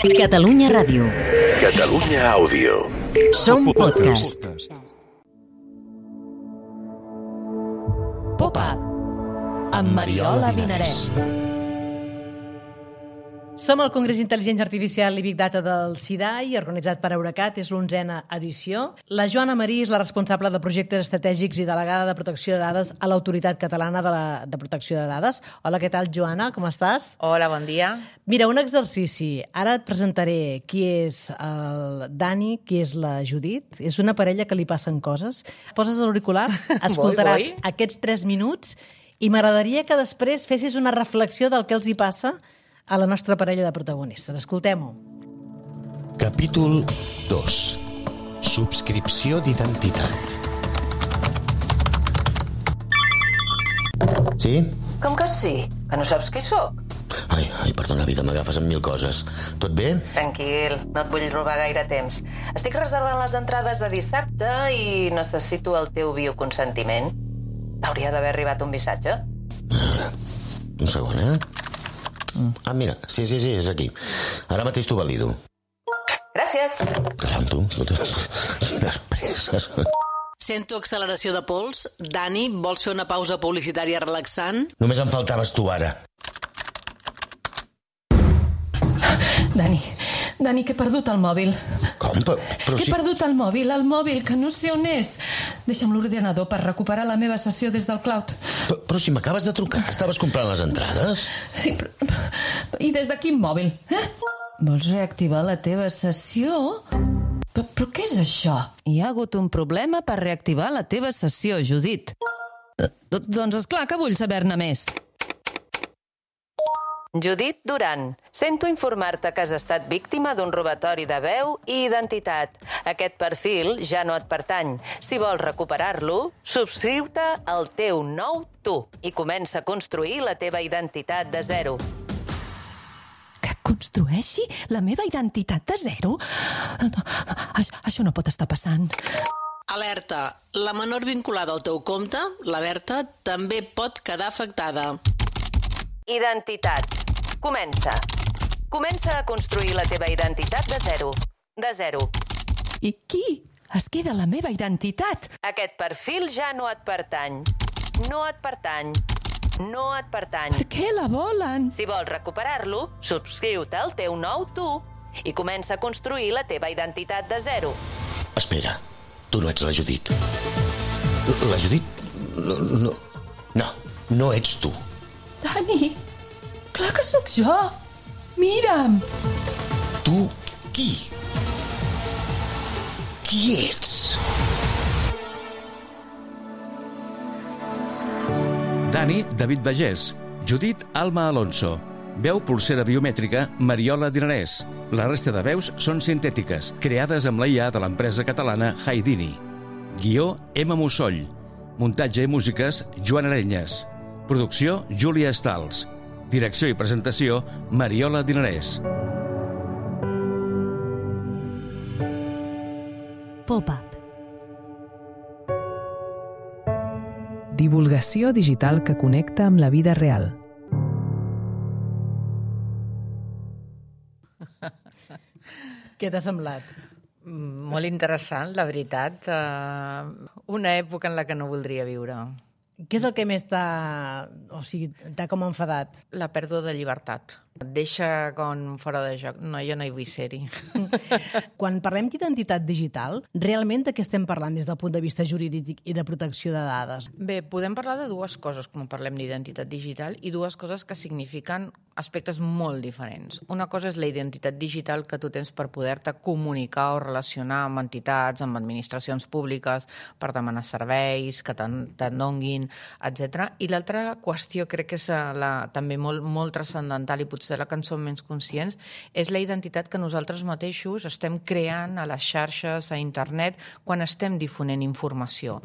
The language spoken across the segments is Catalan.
Catalunya Ràdio. Catalunya Àudio. Som podcast. Pop-up amb Mariola Dinarès. Som al Congrés d'Intel·ligència Artificial i Big Data del CIDAI, organitzat per Eurecat, és l'11a edició. La Joana Marí és la responsable de projectes estratègics i delegada de protecció de dades a l'Autoritat Catalana de Protecció de Dades. Hola, què tal, Joana? Com estàs? Hola, bon dia. Mira, un exercici. Ara et presentaré qui és el Dani, qui és la Judit. És una parella que li passen coses. Poses els auriculars, escoltaràs aquests 3 minuts i m'agradaria que després fessis una reflexió del que els hi passa a la nostra parella de protagonistes. Escoltem-ho. Capítol 2. Subscripció d'identitat. Sí? Com que sí? Que no saps qui sóc? Ai, perdona, vida, m'agafes amb 1000 coses. Tot bé? Tranquil, no et vull robar gaire temps. Estic reservant les entrades de dissabte i necessito el teu bioconsentiment. T'hauria d'haver arribat un missatge. A veure, un segon, Ah, mira, sí, és aquí. Ara mateix t'ho valido. Gràcies. Caram, tu, quines presses. Sento acceleració de pols. Dani, vols fer una pausa publicitària relaxant? Només em faltaves tu ara. Dani, que he perdut el mòbil. Com? Però He si... perdut el mòbil, que no sé on és. Deixa'm l'ordinador per recuperar la meva sessió des del cloud. Però si m'acabes de trucar, estaves comprant les entrades? Sí, però... I des de quin mòbil? Vols reactivar la teva sessió? Però què és això? Hi ha hagut un problema per reactivar la teva sessió, Judit. Doncs esclar que vull saber-ne més. Judit Duran, sento informar-te que has estat víctima d'un robatori de veu i identitat. Aquest perfil ja no et pertany. Si vols recuperar-lo, subscriu-te al teu nou tu i comença a construir la teva identitat de zero. Que construeixi la meva identitat de zero? Això no pot estar passant. Alerta. La menor vinculada al teu compte, la Berta, també pot quedar afectada. Identitat. Comença. Comença a construir la teva identitat de zero. De zero. I qui es queda la meva identitat? Aquest perfil ja no et pertany. No et pertany. No et pertany. Per què la volen? Si vols recuperar-lo, subscriu-te al teu nou tu i comença a construir la teva identitat de zero. Espera, tu no ets la Judit. La Judit... No ets tu. Dani, clar que sóc jo. Mira'm. Tu qui? Qui ets? Dani, David Bagés. Judit, Alma Alonso. Veu pulsera biomètrica, Mariola Dinarès. La resta de veus són sintètiques, creades amb la IA de l'empresa catalana Haidini. Guió, Emma Mussoll. Muntatge i músiques, Joan Arenyes. Producció, Júlia Stals. Direcció i presentació, Mariola Dinarès. Pop-up. Divulgació digital que connecta amb la vida real. Què t'ha semblat? Molt interessant, la veritat. Una època en la que no voldria viure. Què és el que més t'ha com enfadat? La pèrdua de llibertat. Et deixa com fora de joc. No, jo no hi vull ser-hi. Quan parlem d'identitat digital, realment de què estem parlant des del punt de vista jurídic i de protecció de dades? Bé, podem parlar de dues coses quan parlem d'identitat digital i dues coses que signifiquen aspectes molt diferents. Una cosa és la identitat digital que tu tens per poder-te comunicar o relacionar amb entitats, amb administracions públiques, per demanar serveis, que te'n donguin, etc. I l'altra qüestió, crec que és també molt transcendental i potser la que en som menys conscients, és la identitat que nosaltres mateixos estem creant a les xarxes, a internet, quan estem difonent informació.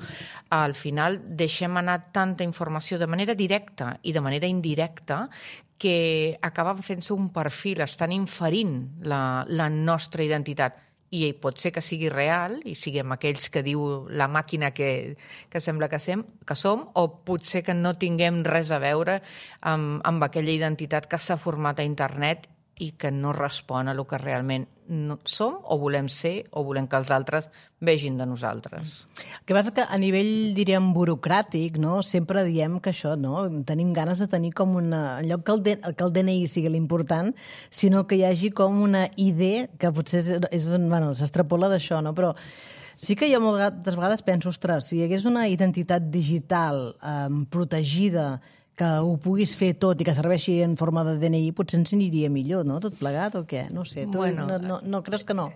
Al final deixem anar tanta informació de manera directa i de manera indirecta que acaben fent-se un perfil, estan inferint la nostra identitat. I pot ser que sigui real i siguem aquells que diu la màquina que sembla que som, o potser que no tinguem res a veure amb aquella identitat que s'ha format a internet i que no respon a el que realment som o volem ser o volem que els altres vegin de nosaltres. El que passa que a nivell, diríem, burocràtic, no? Sempre diem que això, no? Tenim ganes de tenir com una... En lloc que el DNI sigui l'important, sinó que hi hagi com una ID que potser s'extrapola d'això, no? Però sí que jo moltes vegades penso, ostres, si hi hagués una identitat digital protegida que ho puguis fer tot i que serveixi en forma de DNI, potser ens aniria millor, no?, tot plegat, o què? No sé, tu no creus que no?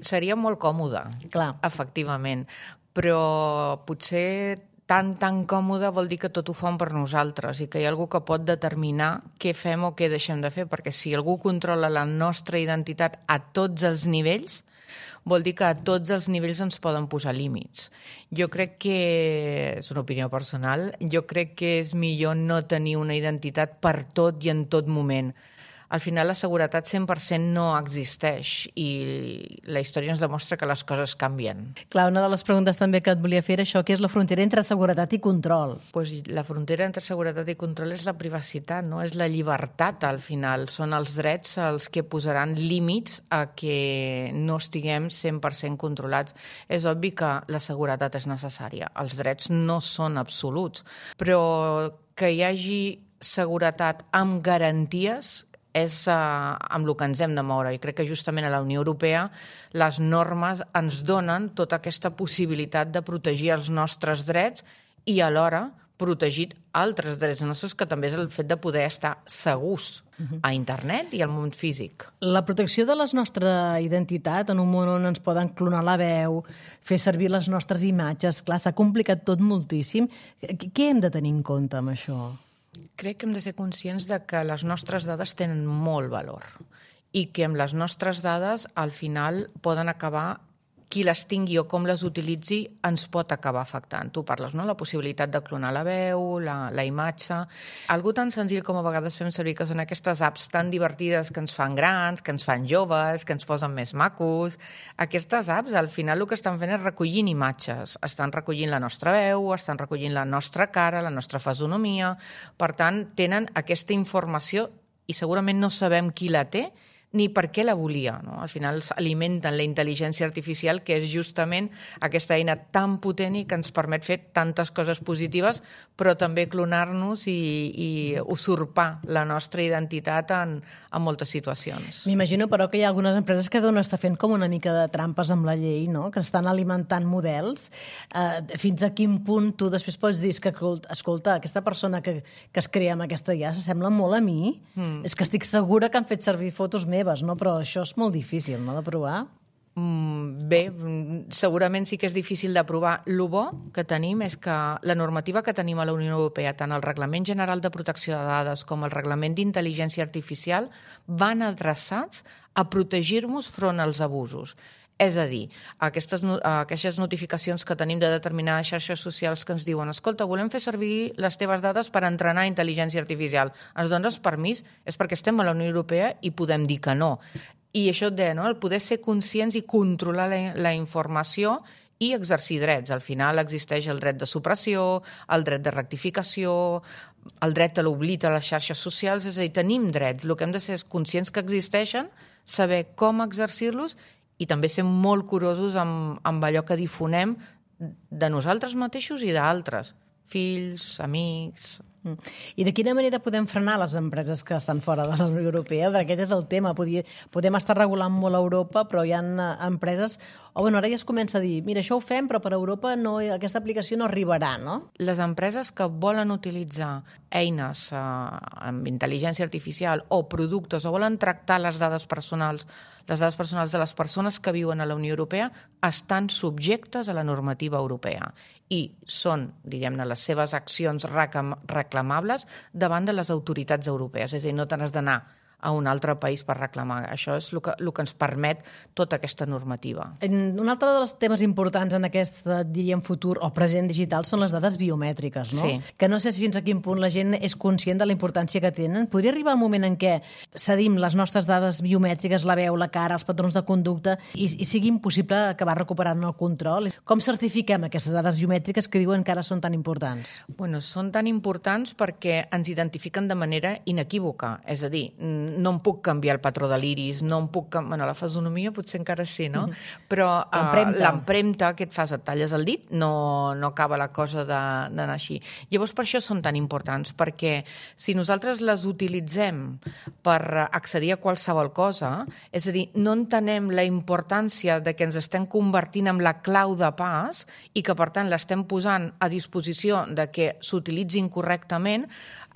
Seria molt còmode, clar, efectivament, però potser tan còmode vol dir que tot ho fan per nosaltres i que hi ha algú que pot determinar què fem o què deixem de fer, perquè si algú controla la nostra identitat a tots els nivells, vol dir que a tots els nivells ens poden posar límits. Jo crec que, és una opinió personal, jo crec que és millor no tenir una identitat per tot i en tot moment. Al final la seguretat 100% no existeix i la història ens demostra que les coses canvien. Clar, una de les preguntes també que et volia fer era això, que és la frontera entre seguretat i control. Pues la frontera entre seguretat i control és la privacitat, no? És la llibertat, al final. Són els drets els que posaran límits a que no estiguem 100% controlats. És obvi que la seguretat és necessària. Els drets no són absoluts, però que hi hagi seguretat amb garanties és amb el que ens hem de moure. I crec que justament a la Unió Europea les normes ens donen tota aquesta possibilitat de protegir els nostres drets i alhora protegir altres drets nostres, que també és el fet de poder estar segurs a internet i al món físic. La protecció de la nostra identitat en un món on ens poden clonar la veu, fer servir les nostres imatges, clar, s'ha complicat tot moltíssim. Què hem de tenir en compte amb això? Crec que hem de ser conscients de que les nostres dades tenen molt valor i que amb les nostres dades al final poden acabar, qui les tingui o com les utilitzi ens pot acabar afectant. Tu parles, no?, la possibilitat de clonar la veu, la imatge. Algo tan senzill com a vegades fem servir, que són aquestes apps tan divertides que ens fan grans, que ens fan joves, que ens posen més macos. Aquestes apps al final el que estan fent és recollint imatges. Estan recollint la nostra veu, estan recollint la nostra cara, la nostra fisonomia. Per tant, tenen aquesta informació i segurament no sabem qui la té ni per què la volia, no? Al final alimenten la intel·ligència artificial, que és justament aquesta eina tan potent i que ens permet fer tantes coses positives, però també clonar-nos i usurpar la nostra identitat en moltes situacions. M'imagino, però, que hi ha algunes empreses que deuen estar fent com una mica de trampes amb la llei, no?, que estan alimentant models. Fins a quin punt tu després pots dir que, escolta, aquesta persona que es crea amb aquesta IA s'assembla molt a mi? És que estic segura que han fet servir fotos meves, no? Però això és molt difícil, no?, de provar. Bé, segurament sí que és difícil de provar. El bo que tenim és que la normativa que tenim a la Unió Europea, tant el Reglament General de Protecció de Dades com el Reglament d'Intel·ligència Artificial, van adreçats a protegir-nos front als abusos. És a dir, aquestes notificacions que tenim de determinades xarxes socials que ens diuen: escolta, volem fer servir les teves dades per entrenar intel·ligència artificial. Ens dones permís? És perquè estem a la Unió Europea i podem dir que no. I això et deia, no?, el poder ser conscients i controlar la informació i exercir drets. Al final existeix el dret de supressió, el dret de rectificació, el dret a l'oblit a les xarxes socials, és a dir, tenim drets. El que hem de ser és conscients que existeixen, saber com exercir-los i també ser molt curosos amb allò que difonem de nosaltres mateixos i d'altres, fills, amics. I de quina manera podem frenar les empreses que estan fora de la Unió Europea? Perquè aquest és el tema. Podem estar regulant molt a Europa, però hi ha empreses... ara ja es comença a dir, mira, això ho fem, però per Europa aquesta aplicació no arribarà, no? Les empreses que volen utilitzar eines amb intel·ligència artificial o productes o volen tractar les dades personals de les persones que viuen a la Unió Europea estan subjectes a la normativa europea i són, diguem-ne, les seves accions reclamables davant de les autoritats europees. És a dir, no te n'has d'anar a un altre país per reclamar. Això és el que ens permet tota aquesta normativa. Un altre dels temes importants en aquest, diríem, futur o present digital són les dades biomètriques, no? Sí. Que no sé fins a quin punt la gent és conscient de la importància que tenen. Podria arribar un moment en què cedim les nostres dades biomètriques, la veu, la cara, els patrons de conducta, i sigui impossible acabar recuperant el control? Com certifiquem aquestes dades biomètriques que diuen que ara són tan importants? Bueno, són tan importants perquè ens identifiquen de manera inequívoca. És a dir, no em puc canviar el patró de l'iris, no em puc... Bueno, la fisonomia potser encara sí, no? Però l'empremta que et fas, et talles el dit, no acaba la cosa d'anar així. Llavors, per això són tan importants, perquè si nosaltres les utilitzem per accedir a qualsevol cosa, és a dir, no entenem la importància de que ens estem convertint en la clau de pas i que, per tant, l'estem posant a disposició de que s'utilitzin correctament,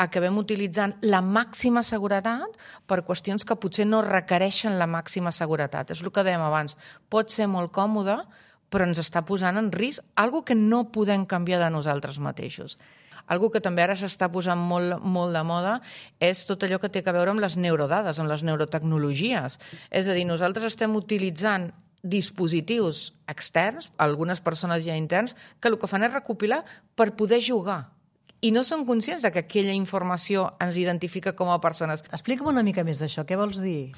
acabem utilitzant la màxima seguretat per qüestions que potser no requereixen la màxima seguretat. És el que dèiem abans. Pot ser molt còmode, però ens està posant en risc algo que no podem canviar de nosaltres mateixos. Algo que també ara s'està posant molt de moda és tot allò que té a veure amb les neurodades, amb les neurotecnologies. És a dir, nosaltres estem utilitzant dispositius externs, algunes persones ja interns, que el que fan és recopilar per poder jugar. I no són conscients de que aquella informació ens identifica com a persones. Explica'm una mica més d'això. Què vols dir?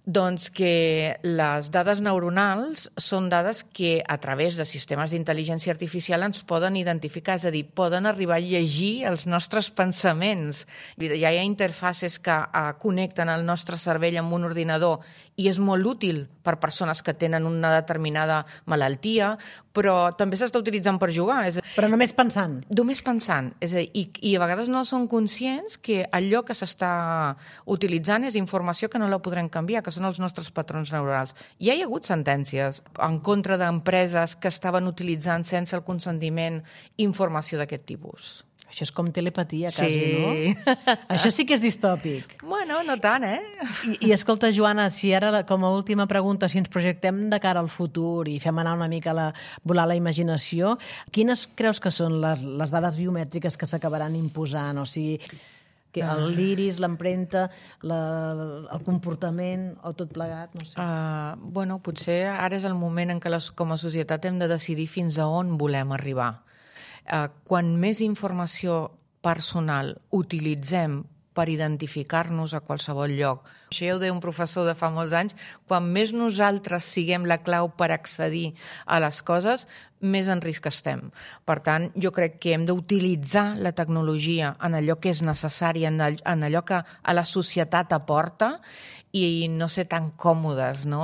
Doncs que les dades neuronals són dades que a través de sistemes d'intel·ligència artificial ens poden identificar, és a dir, poden arribar a llegir els nostres pensaments. Ja hi ha interfaces que connecten el nostre cervell amb un ordinador i és molt útil per persones que tenen una determinada malaltia, però també s'està utilitzant per jugar. Però només pensant. Només pensant. És a dir, i a vegades no són conscients que allò que s'està utilitzant és informació que no la podrem canviar, que són els nostres patrons neurals. Ja hi ha hagut sentències en contra d'empreses que estaven utilitzant sense el consentiment informació d'aquest tipus. Això és com telepatia, quasi, sí. No? Això sí que és distòpic. Bueno, no tant, I escolta, Joana, si ara, com a última pregunta, si ens projectem de cara al futur i fem anar una mica volar la imaginació, quines creus que són les dades biomètriques que s'acabaran imposant? O sigui, l'iris, l'empremta, el comportament o tot plegat, no sé. Bueno, potser ara és el moment en què com a societat hem de decidir fins a on volem arribar. Quan més informació personal utilitzem per identificar-nos a qualsevol lloc. Això ja ho deia un professor de fa molts anys, quan més nosaltres siguem la clau per accedir a les coses, més en risc estem. Per tant, jo crec que hem d'utilitzar la tecnologia en allò que és necessari, en allò que a la societat aporta i no ser tan còmodes, no?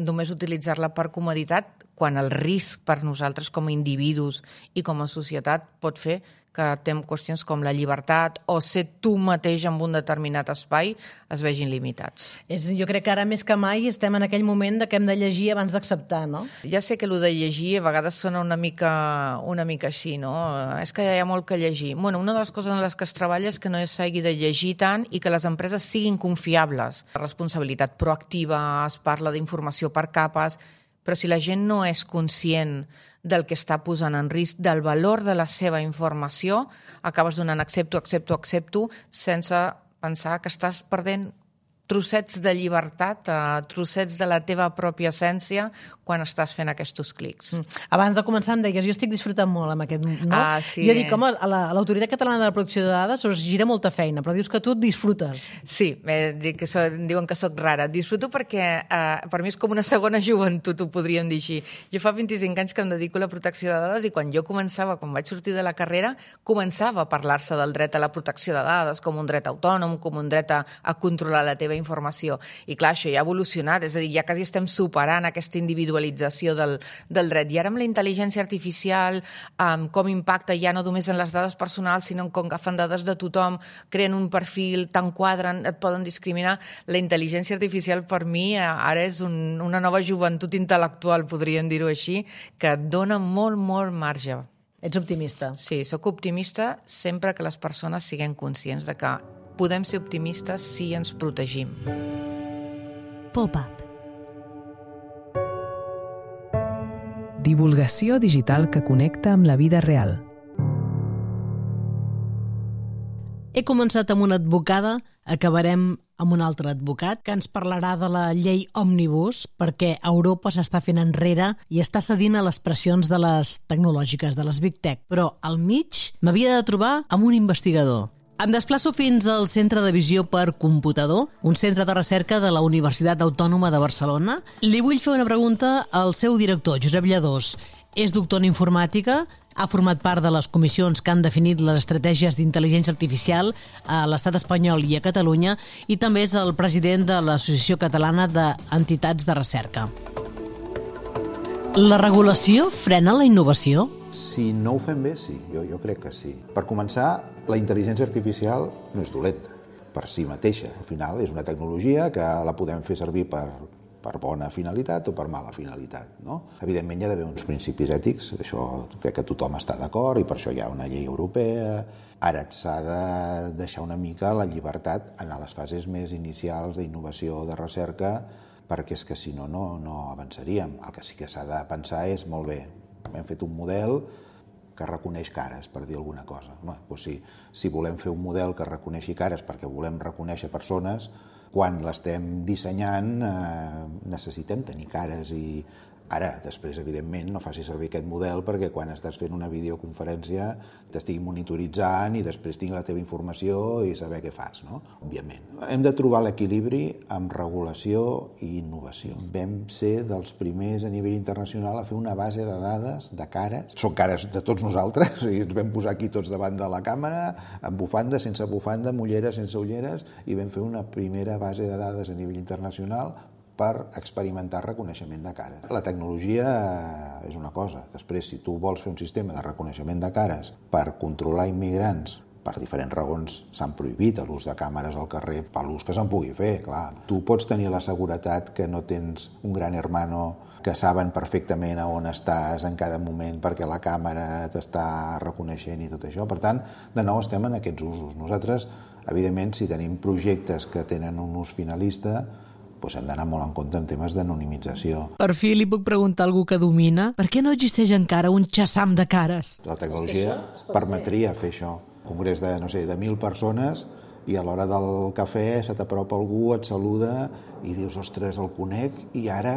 Només utilitzar-la per comoditat, quan el risc per nosaltres com a individus i com a societat pot fer que tem qüestions com la llibertat o ser tu mateix en un determinat espai es vegin limitats. Jo crec que ara més que mai estem en aquell moment que hem de llegir abans d'acceptar, no? Ja sé que el de llegir a vegades sona una mica així, no? És que hi ha molt que llegir. Bueno, una de les coses en les que es treballa és que no s'hagi de llegir tant i que les empreses siguin confiables. La responsabilitat proactiva, es parla d'informació per capes, però si la gent no és conscient del que està posant en risc, del valor de la seva informació, acabes donant accepto, sense pensar que estàs perdent trossets de llibertat, trossets de la teva pròpia essència quan estàs fent aquests clics. Abans de començar em deies, jo estic disfrutant molt amb aquest... No? Sí. Jo dic, home, a l'Autoritat Catalana de la Protecció de Dades us gira molta feina, però dius que tu disfrutes. Sí, diuen que soc rara. Disfruto perquè per mi és com una segona joventut, ho podríem dir així. Jo fa 25 anys que em dedico a la protecció de dades i quan vaig sortir de la carrera, començava a parlar-se del dret a la protecció de dades com un dret autònom, com un dret a controlar la teva informació. I clar, això ja ha evolucionat, és a dir, ja quasi estem superant aquesta individualització del dret. I ara amb la intel·ligència artificial, com impacta ja no només en les dades personals, sinó com agafen dades de tothom, creen un perfil, t'enquadren, et poden discriminar. La intel·ligència artificial per mi ara és una nova joventut intel·lectual, podríem dir-ho així, que et dona molt, molt marge. Ets optimista? Sí, sóc optimista sempre que les persones siguin conscients de que podem ser optimistes si ens protegim. Pop-up. Divulgació digital que connecta amb la vida real. He començat amb una advocada, acabarem amb un altre advocat que ens parlarà de la llei Òmnibus perquè Europa s'està fent enrere i està cedint a les pressions de les tecnològiques, de les Big Tech. Però al mig m'havia de trobar amb un investigador. Em desplaço fins al Centre de Visió per Computador, un centre de recerca de la Universitat Autònoma de Barcelona. Li vull fer una pregunta al seu director, Josep Lladós. És doctor en informàtica Ha format part de les comissions que han definit les estratègies d'intel·ligència artificial a l'estat espanyol i a Catalunya i també és el president de l'Associació Catalana d'Entitats de Recerca. La regulació frena la innovació? Si no ho fem bé, sí. Jo crec que sí. Per començar, la intel·ligència artificial no és dolenta per si mateixa. Al final és una tecnologia que la podem fer servir per bona finalitat o per mala finalitat, no? Evidentment hi ha d'haver uns principis ètics, això crec que tothom està d'acord i per això hi ha una llei europea. Ara s'ha de deixar una mica la llibertat en les fases més inicials d'innovació de recerca, perquè és que si no, no avançaríem. El que sí que s'ha de pensar és, molt bé, hem fet un model que reconeix cares, per dir alguna cosa. Home, doncs si volem fer un model que reconeixi cares perquè volem reconèixer persones, quan l'estem dissenyant necessitem tenir cares i ara, després, evidentment, no facis servir aquest model perquè quan estàs fent una videoconferència t'estigui monitoritzant i després tingui la teva informació i saber què fas, no? Òbviament. Hem de trobar l'equilibri amb regulació i innovació. Vam ser dels primers a nivell internacional a fer una base de dades de cares. Són cares de tots nosaltres, i ens vam posar aquí tots davant de la càmera, amb bufanda, sense bufanda, amb ulleres, sense ulleres, i vam fer una primera base de dades a nivell internacional per experimentar reconeixement de cares. La tecnologia és una cosa. Després, si tu vols fer un sistema de reconeixement de cares per controlar immigrants, per diferents raons s'han prohibit l'ús de càmeres al carrer, per l'ús que se'n pugui fer, clar. Tu pots tenir la seguretat que no tens un gran hermano que saben perfectament a on estàs en cada moment perquè la càmera t'està reconeixent i tot això. Per tant, de nou estem en aquests usos. Nosaltres, evidentment, si tenim projectes que tenen un ús finalista, doncs hem d'anar molt en compte en temes d'anonimització. Per fi li puc preguntar a algú que domina per què no existeix encara un xassam de cares? La tecnologia permetria fer això. Un congrés de, no sé, de 1.000 persones i a l'hora del cafè se t'apropa algú, et saluda i dius, ostres, el conec i ara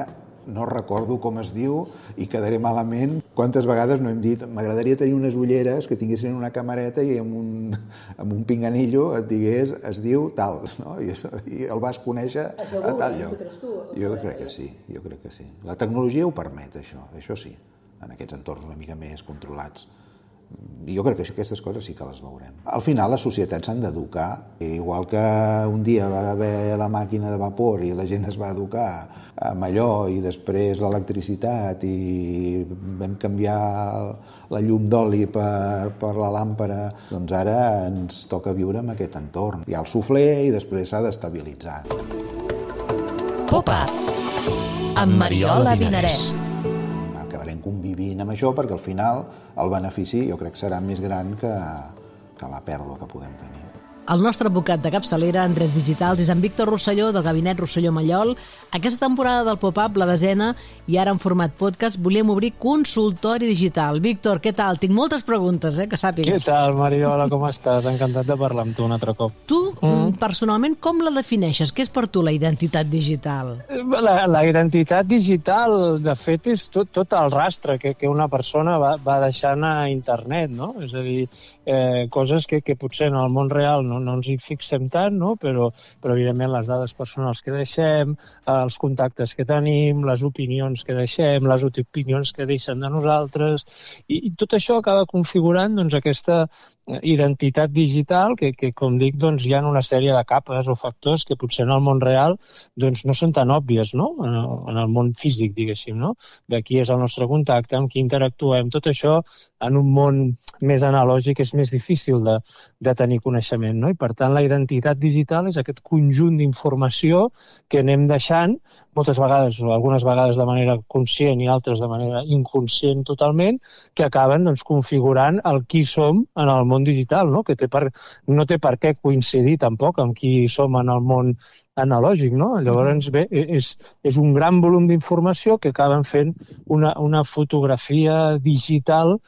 no recordo com es diu i quedaré malament. Quantes vegades no hem dit m'agradaria tenir unes ulleres que tinguessin una camareta i amb un pinganillo et digués, es diu tal, no? I el vas conèixer a tal lloc. Jo crec que sí. La tecnologia ho permet, això sí, en aquests entorns una mica més controlats. I jo crec que aquestes coses sí que les veurem. Al final les societats s'han d'educar, igual que un dia va haver la màquina de vapor i la gent es va educar amb allò i després l'electricitat i vam canviar la llum d'oli per la làmpara, doncs ara ens toca viure en aquest entorn. Hi ha el suflé i després s'ha d'estabilitzar. Pop-up amb Mariola Dinarès. Convivint amb això perquè al final el benefici jo crec que serà més gran que la pèrdua que podem tenir. El nostre advocat de capçalera en drets digitals és en Víctor Rosselló, del gabinet Rosselló Mallol. Aquesta temporada del Pop-up, la 10ª, i ara en format podcast, volíem obrir consultori digital. Víctor, què tal? Tinc moltes preguntes, que sàpigues. Què tal, Mariola, com estàs? Encantat de parlar amb tu un altre cop. Tu, personalment, com la defineixes? Què és per tu la identitat digital? La identitat digital, de fet, és tot el rastre que una persona va deixant a internet, no? És a dir, coses que potser en el món real no ens hi fixem tant, no? Però evidentment les dades personals que deixem, els contactes que tenim, les opinions que deixem, les opinions que deixen de nosaltres, i tot això acaba configurant aquesta identitat digital que com dic, hi ha una sèrie de capes o factors que potser en el món real no són tan òbvies, no? En el món físic, diguéssim, no? De qui és el nostre contacte, amb qui interactuem, tot això en un món més analògic és més difícil de tenir coneixement, no? I per tant la identitat digital és aquest conjunt d'informació que anem deixant moltes vegades, o algunes vegades de manera conscient i altres de manera inconscient totalment, que acaben configurant el qui som en el món digital, no? Que no té per què coincidir tampoc amb qui som en el món analògic, no? Llavors, bé, és un gran volum d'informació que acaben fent una fotografia digital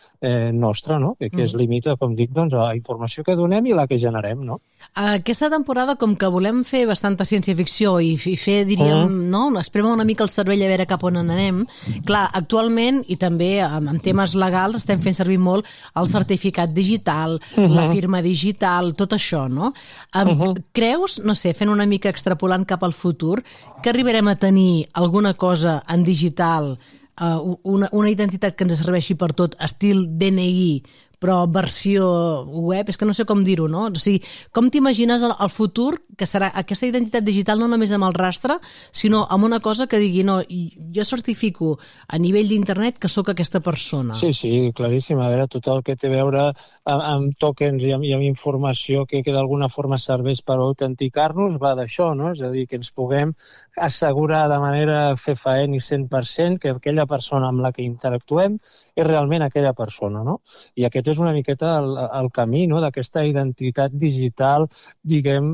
nostra, no? Que es limita, com dic, a la informació que donem i la que generem, no? Aquesta temporada, com que volem fer bastanta ciència-ficció i fer, diríem, no? Esprema una mica el cervell a veure cap on anem. Clar, actualment, i també en temes legals, estem fent servir molt el certificat digital, la firma digital, tot això, no? Creus, no sé, fent una mica extrapolant cap al futur, que arribarem a tenir alguna cosa en digital una identitat que ens serveixi per tot, estil DNI, però versió web, és que no sé com dir-ho, no? O sigui, com t'imagines el futur, que serà aquesta identitat digital no només amb el rastre, sinó amb una cosa que digui, no, jo certifico a nivell d'internet que sóc aquesta persona. Sí, claríssim. A veure, tot el que té a veure amb tokens i amb informació que d'alguna forma serveix per autenticar-nos va d'això, no? És a dir, que ens puguem assegurar de manera fefaent i 100% que aquella persona amb la que interactuem és realment aquella persona, no? I aquest és una miqueta el camí, no?, d'aquesta identitat digital, diguem,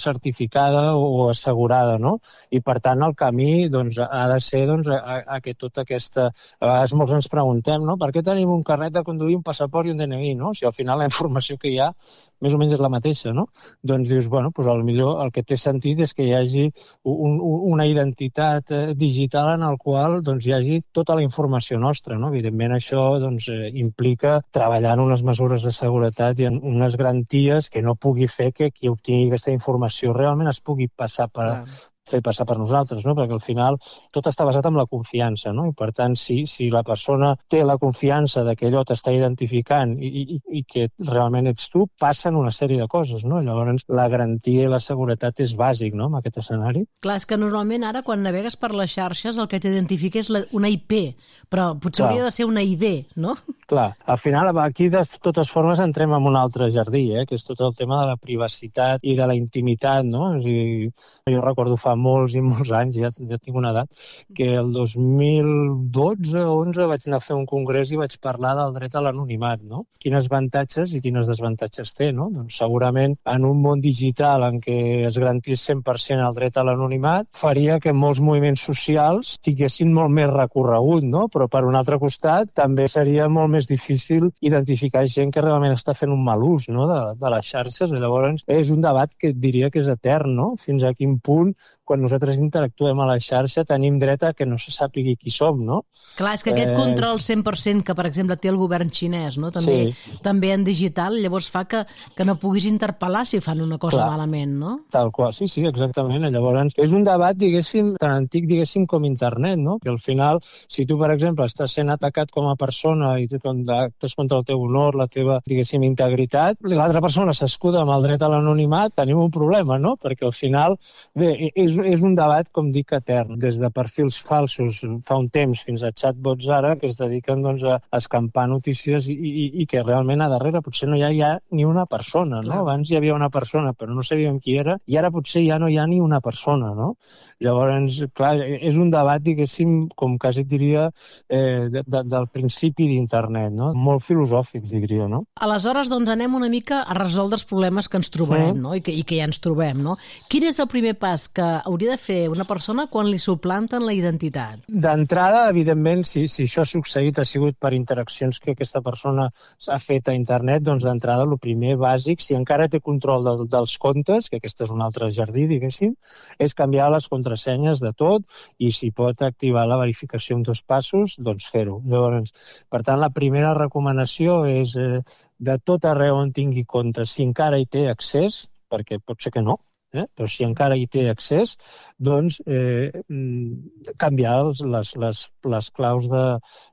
certificada o assegurada, no? I, per tant, el camí doncs, ha de ser a que tota aquesta... A vegades molts ens preguntem, no?, per què tenim un carnet de conduir, un passaport i un DNI, no? Si al final la informació que hi ha més o menys és la mateixa, no? Doncs dius, bueno, doncs potser el que té sentit és que hi hagi una identitat digital en el qual doncs, hi hagi tota la informació nostra, no? Evidentment, això doncs, implica treballar en unes mesures de seguretat i en unes garanties que no pugui fer que qui obtingui aquesta informació realment es pugui fer passar per nosaltres, no? Perquè al final tot està basat en la confiança, no? I per tant, si la persona té la confiança de que allò t'està identificant i que realment ets tu, passen una sèrie de coses, no? Llavors, la garantia i la seguretat és bàsic, no?, en aquest escenari. Clar, és que normalment ara, quan navegues per les xarxes, el que t'identifica és una IP, però potser hauria de ser una ID, no? Clar, al final aquí de totes formes entrem en un altre jardí, que és tot el tema de la privacitat i de la intimitat, no? És a dir, jo recordo fa molts i molts anys, ja tinc una edat, que el 2012 o 11 vaig anar a fer un congrés i vaig parlar del dret a l'anonimat, no? Quines avantatges i quines desavantatges té, no? Doncs segurament en un món digital en què es garantís 100% el dret a l'anonimat faria que molts moviments socials tinguessin molt més recorregut, no? Però per un altre costat també seria molt més difícil identificar gent que realment està fent un mal ús, no?, de les xarxes. I llavors és un debat que diria que és etern, no? Fins a quin punt, quan nosaltres interactuem a la xarxa, tenim dret a que no se sàpigui qui som, no? Clar, és que aquest control 100% que, per exemple, té el govern xinès, no?, també en digital, llavors fa que no puguis interpel·lar si fan una cosa malament, no? Tal qual, sí, exactament. Llavors, és un debat, diguéssim, tan antic, diguéssim, com internet, no? Que al final, si tu, per exemple, estàs sent atacat com a persona i actes contra el teu honor, la teva, diguéssim, integritat, l'altra persona s'escuda amb el dret a l'anonimat, tenim un problema, no? Perquè al final, bé, és un debat, com dic, etern. Des de perfils falsos fa un temps fins a chatbots ara que es dediquen doncs, a escampar notícies i que realment a darrere potser no hi ha ni una persona, no? Abans hi havia una persona, però no sabíem qui era, i ara potser ja no hi ha ni una persona, no? Llavors, clar, és un debat, diguéssim, com quasi et diria, del principi d'internet, no? Molt filosòfic, diria, no? Aleshores, doncs, anem una mica a resoldre els problemes que ens trobarem, no? I que ja ens trobem, no? Quin és el primer pas que hauria de fer una persona quan li suplanten la identitat? D'entrada, evidentment, si això ha succeït, ha sigut per interaccions que aquesta persona ha fet a internet, doncs d'entrada, el primer bàsic, si encara té control dels comptes, que aquest és un altre jardí, diguéssim, és canviar les contrasenyes de tot i si pot activar la verificació en 2 passos, doncs fer-ho. Llavors, per tant, la primera recomanació és de tot arreu on tingui compte, si encara hi té accés, perquè pot ser que no, però si encara hi té accés, doncs canviar les claus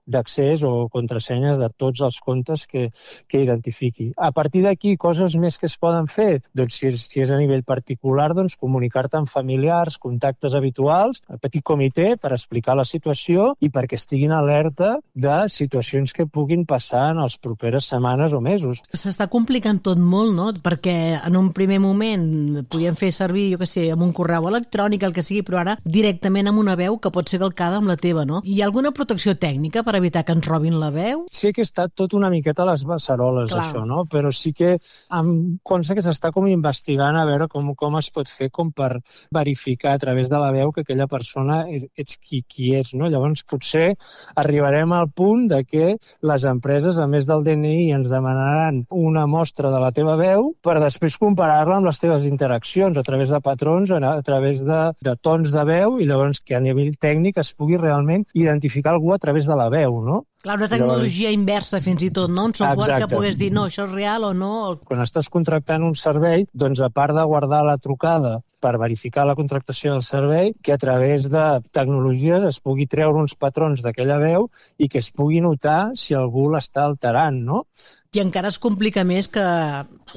d'accés o contrasenyes de tots els comptes que identifiqui. A partir d'aquí, coses més que es poden fer, doncs si és a nivell particular, doncs comunicar-te amb familiars, contactes habituals, el petit comitè per explicar la situació i perquè estiguin alerta de situacions que puguin passar en les properes setmanes o mesos. S'està complicant tot molt, no? Perquè en un primer moment podíem fer servir, jo què sé, amb un correu electrònic, el que sigui, però ara directament amb una veu que pot ser calcada amb la teva, no? Hi ha alguna protecció tècnica per evitar que ens robin la veu? Sí que està tot una miqueta a les beceroles, això, no? Però sí que em consta que s'està com investigant a veure com es pot fer com per verificar a través de la veu que aquella persona ets qui és, no? Llavors potser arribarem al punt de que les empreses, a més del DNI, ens demanaran una mostra de la teva veu per després comparar-la amb les teves interaccions a través de patrons, a través de tons de veu, i llavors que a nivell tècnic es pugui realment identificar algú a través de la veu, no? Clar, una tecnologia inversa fins i tot, no? Un software que pogués dir, no, això és real o no. Quan estàs contractant un servei, doncs a part de guardar la trucada per verificar la contractació del servei, que a través de tecnologies es pugui treure uns patrons d'aquella veu i que es pugui notar si algú l'està alterant, no? I encara es complica més que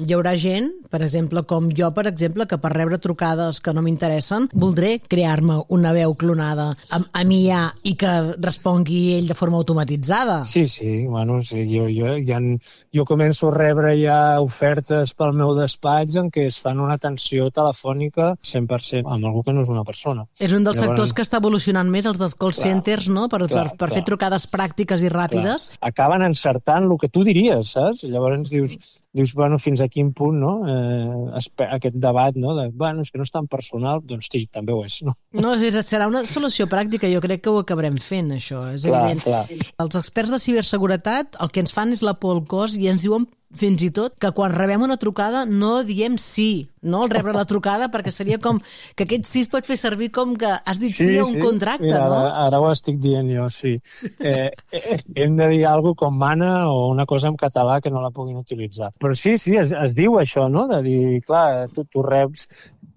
hi haurà gent, per exemple, com jo, per exemple, que per rebre trucades que no m'interessen, voldré crear-me una veu clonada amb IA i que respongui ell de forma automatitzada. Sí, bueno, jo començo a rebre ja ofertes pel meu despatx en què es fan una atenció telefònica 100% amb algú que no és una persona. És un dels sectors que està evolucionant més, els dels call centers, no? Per fer trucades pràctiques i ràpides. Acaben encertant el que tu diries, saps? Llavors dius, bueno, fins a quin punt, no? Aquest debat, no? Bueno, és que no és tan personal, doncs sí, també ho és, no? No, serà una solució pràctica, jo crec que ho acabarem fent, això, és evident. Els experts de ciberseguretat el que ens fan és la por al cos i ens diuen fins i tot que quan rebem una trucada no diem sí, no? Al rebre la trucada, perquè seria com que aquest sí es pot fer servir com que has dit sí a un contracte, mira, no? Ara ho estic dient jo, sí. Hem de dir alguna cosa com mana o una cosa en català que no la puguin utilitzar. Però sí, es diu això, no? De dir, clar, tu reps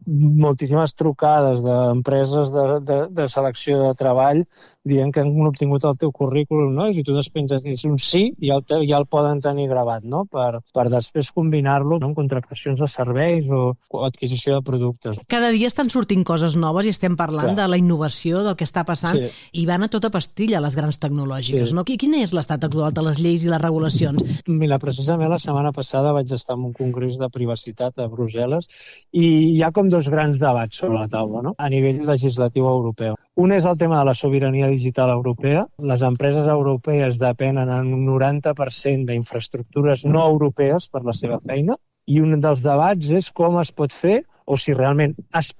moltíssimes trucades d'empreses de selecció de treball dient que han obtingut el teu currículum, no? I si tu despenges un sí, ja el poden tenir gravat, no? Per després combinar-lo amb contractacions de serveis o adquisició de productes. Cada dia estan sortint coses noves i estem parlant de la innovació, del que està passant, i van a tota pastilla les grans tecnològiques, no? Quin és l'estat actual de les lleis i les regulacions? Mira, precisament la setmana passada vaig estar en un congrés de privacitat a Brussel·les i hi ha com dos grans debats sobre la taula, no? A nivell legislatiu europeu. Un és el tema de la sobirania digital europea. Les empreses europees depenen en un 90% d'infraestructures no europees per la seva feina i un dels debats és com es pot fer o si realment,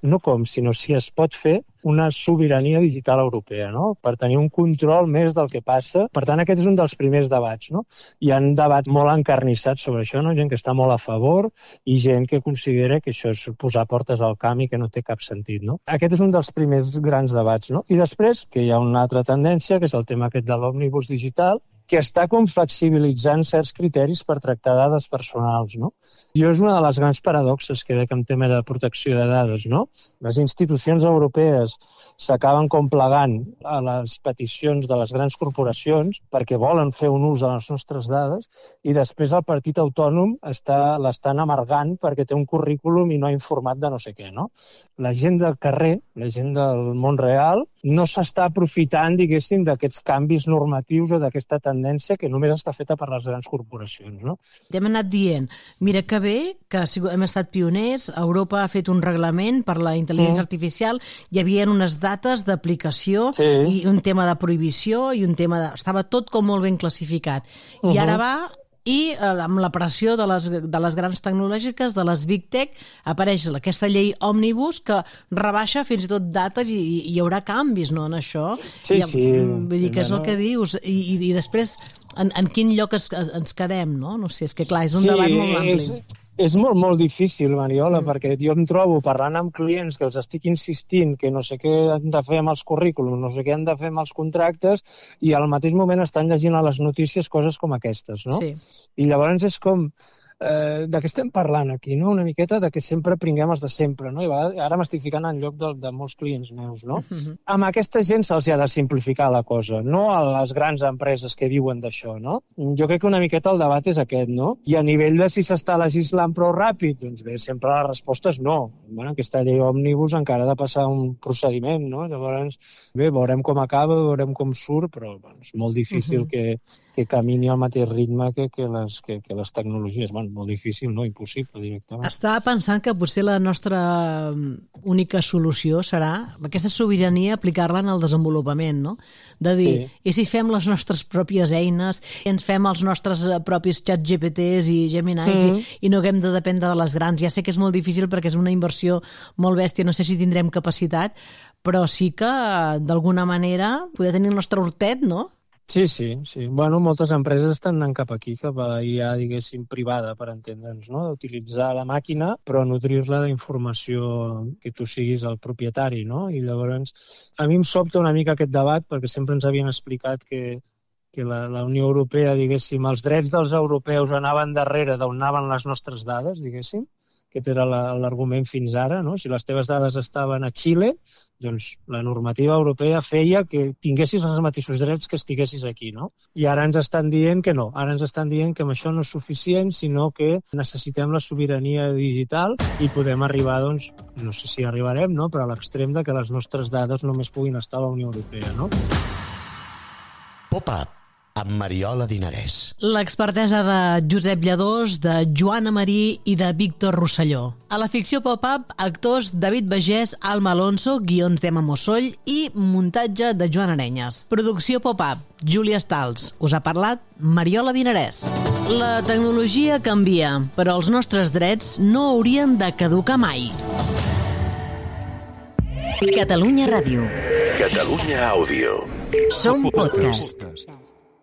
no com, sinó si es pot fer una sobirania digital europea, no? Per tenir un control més del que passa. Per tant, aquest és un dels primers debats, no? Hi ha un debat molt encarnissat sobre això, no? Gent que està molt a favor i gent que considera que això és posar portes al camp i que no té cap sentit, no? Aquest és un dels primers grans debats, no? I després, que hi ha una altra tendència, que és el tema aquest de l'òmnibus digital, que està com flexibilitzant certs criteris per tractar dades personals, no? I és una de les grans paradoxes que veig en tema de protecció de dades, no? Les institucions europees s'acaben com plegant a les peticions de les grans corporacions perquè volen fer un ús de les nostres dades i després el partit autònom l'estan amargant perquè té un currículum i no ha informat de no sé què, no? La gent del carrer, la gent del món real, no s'està aprofitant, diguéssim, d'aquests canvis normatius o d'aquesta tendència que només està feta per les grans corporacions, no? Hem anat dient, mira que bé, que hem estat pioners, Europa ha fet un reglament per la intel·ligència artificial, hi havia unes dates d'aplicació i un tema de prohibició i un tema de... Estava tot com molt ben classificat. I ara va... I amb la pressió de les grans tecnològiques, de les Big Tech, apareix aquesta llei òmnibus que rebaixa fins i tot dates i hi haurà canvis, no, en això? Sí. Vull dir que és el que dius. I després, en quin lloc ens quedem, no? No sé, és que clar, és un debat molt ampli. És molt, molt difícil, Mariola, perquè jo em trobo parlant amb clients que els estic insistint que no sé què han de fer amb els currículums, no sé què han de fer amb els contractes, i al mateix moment estan llegint a les notícies coses com aquestes, no? Sí. I llavors és com... de què estem parlant aquí, no? Una miqueta de que sempre pringuem els de sempre, no? I ara m'estic ficant en lloc de molts clients meus, no? Amb aquesta gent se'ls ha de simplificar la cosa, no a les grans empreses que viuen d'això, no? Jo crec que una miqueta el debat és aquest, no? I a nivell de si s'està legislant prou ràpid, doncs bé, sempre la resposta és no. Bueno, aquesta llei òmnibus encara ha de passar un procediment, no? Llavors, bé, veurem com acaba, veurem com surt, però bueno, és molt difícil que camini al mateix ritme que les tecnologies. Bueno, molt difícil, no? Impossible, directament. Estava pensant que potser la nostra única solució serà aquesta sobirania aplicar-la en el desenvolupament, no? De dir, i si fem les nostres pròpies eines, i ens fem els nostres propis xats GPTs i Geminis i no haguem de dependre de les grans. Ja sé que és molt difícil perquè és una inversió molt bèstia, no sé si tindrem capacitat, però sí que d'alguna manera poder tenir el nostre hortet, no? Sí. Bueno, moltes empreses estan anant cap aquí, cap a la IA, diguéssim, privada, per entendre'ns, no? D'utilitzar la màquina, però nutrir-la d'informació que tu siguis el propietari, no? I llavors, a mi em sobta una mica aquest debat, perquè sempre ens havien explicat que que la Unió Europea, diguéssim, els drets dels europeus anaven darrere d'on anaven les nostres dades, diguéssim. Aquest era l'argument fins ara, no? Si les teves dades estaven a Xile, doncs la normativa europea feia que tinguessis els mateixos drets que estiguessis aquí, no? I ara ens estan dient que no. Ara ens estan dient que amb això no és suficient, sinó que necessitem la sobirania digital i podem arribar, doncs, no sé si arribarem, no?, però a l'extrem de que les nostres dades només puguin estar a la Unió Europea, no? Pop-up amb Mariola Dinarès. L'expertesa de Josep Lladós, de Joana Marí i de Víctor Rosselló. A la ficció pop-up, actors David Bagés, Alma Alonso, guions d'Emma Mosoll i muntatge de Joan Arenyes. Producció pop-up, Júlia Stals. Us ha parlat Mariola Dinarès. La tecnologia canvia, però els nostres drets no haurien de caducar mai. Catalunya Ràdio. Catalunya Àudio. Som podcast.